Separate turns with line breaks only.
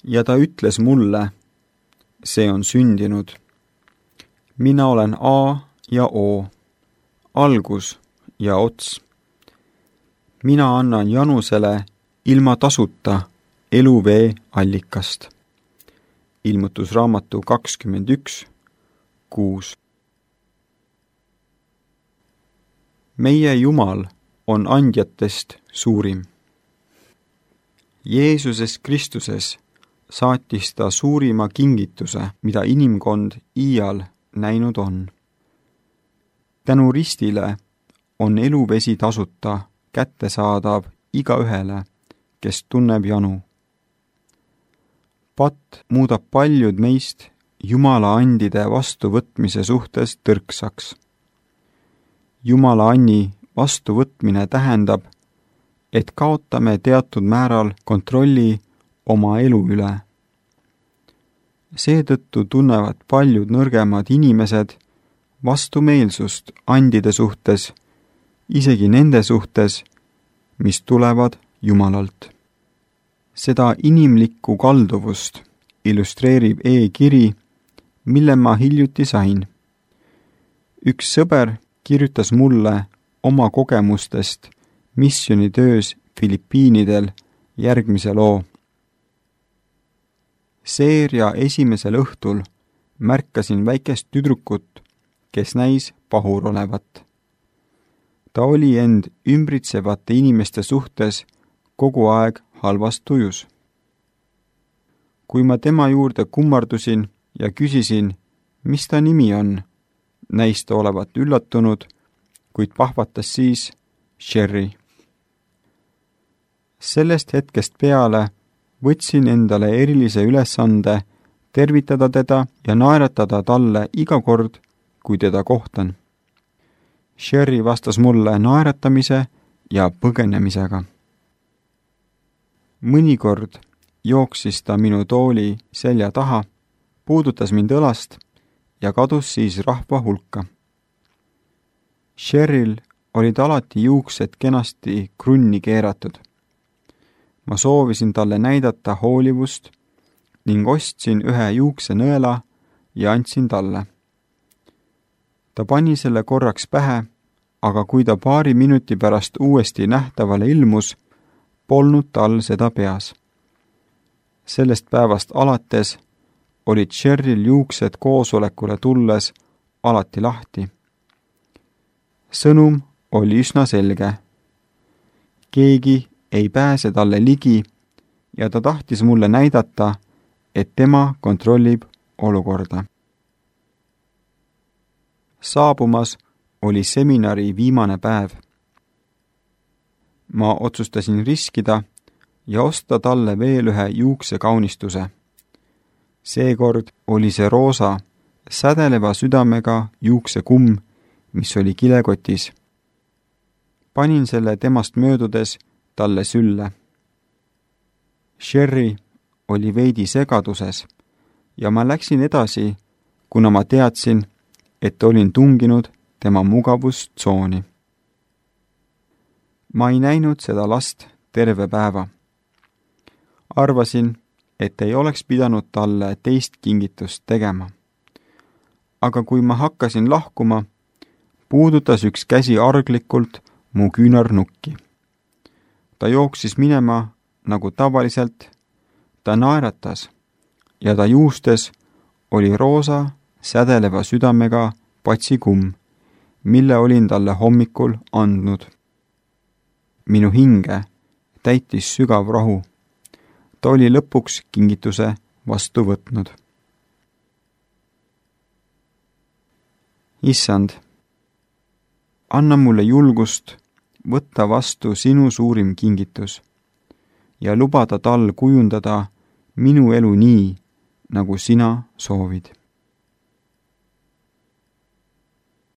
Ja ta ütles mulle, see on sündinud. Mina olen A ja O, algus ja ots. Mina annan Janusele ilma tasuta eluvee allikast. Ilmutusraamatu 21:6. Meie Jumal on andjatest suurim. Jeesuses Kristuses saatis ta suurima kingituse, mida inimkond iial näinud on. Tänu ristile on eluvesi tasuta kättesaadav igaühele, kes tunneb janu. Patt muudab paljud meist Jumala andide vastuvõtmise suhtes tõrksaks. Jumala anni vastuvõtmine tähendab, et kaotame teatud määral kontrolli oma elu üle. Seetõttu tunnevad paljud nõrgemad inimesed vastumeelsust andide suhtes, isegi nende suhtes, mis tulevad Jumalalt. Seda inimlikku kalduvust illustreerib e-kiri, mille ma hiljuti sain. Üks sõber kirjutas mulle oma kogemustest missioonitöös Filipiinidel järgmise loo. Seeria esimesel õhtul märkasin väikest tüdrukut, kes näis pahur olevat. Ta oli end ümbritsevate inimeste suhtes kogu aeg halvas tujus. Kui ma tema juurde kummardusin ja küsisin, mis ta nimi on, näis ta olevat üllatunud, kuid pahvatas siis Sherry. Sellest hetkest peale võtsin endale erilise ülesande tervitada teda ja naeratada talle iga kord, kui teda kohtan. Sherry vastas mulle naeratamise ja põgenemisega. Mõnikord jooksis ta minu tooli selja taha, puudutas mind õlast ja kadus siis rahva hulka. Sherryl olid alati juuksed kenasti krunni keeratud. Ma soovisin talle näidata hoolivust ning ostsin ühe juuksenõela ja andsin talle. Ta pani selle korraks pähe, aga kui ta paari minuti pärast uuesti nähtavale ilmus, polnud tal seda peas. Sellest päevast alates olid Sherryl juuksed koosolekule tulles alati lahti. Sõnum oli üsna selge. Keegi ei pääse talle ligi ja ta tahtis mulle näidata, et tema kontrollib olukorda. Saabumas oli seminari viimane päev. Ma otsustasin riskida ja osta talle veel ühe juuksekaunistuse. Seekord oli see roosa, sädeleva südamega juuksekumm, mis oli kilekotis. Panin selle temast möödudes talle sülle. Sherry oli veidi segaduses ja ma läksin edasi, kuna ma teadsin, et olin tunginud tema mugavustsooni. Ma ei näinud seda last terve päeva. Arvasin, et ei oleks pidanud talle teist kingitust tegema. Aga kui ma hakkasin lahkuma, puudutas üks käsi arglikult mu küünarnukki. Ta jooksis minema nagu tavaliselt, ta naeratas ja ta juustes oli roosa sädeleva südamega patsikumm, mille olin talle hommikul andnud. Minu hinge täitis sügav rahu. Ta oli lõpuks kingituse vastu võtnud. Issand, anna mulle julgust võtta vastu sinu suurim kingitus ja lubada tal kujundada minu elu nii, nagu sina soovid.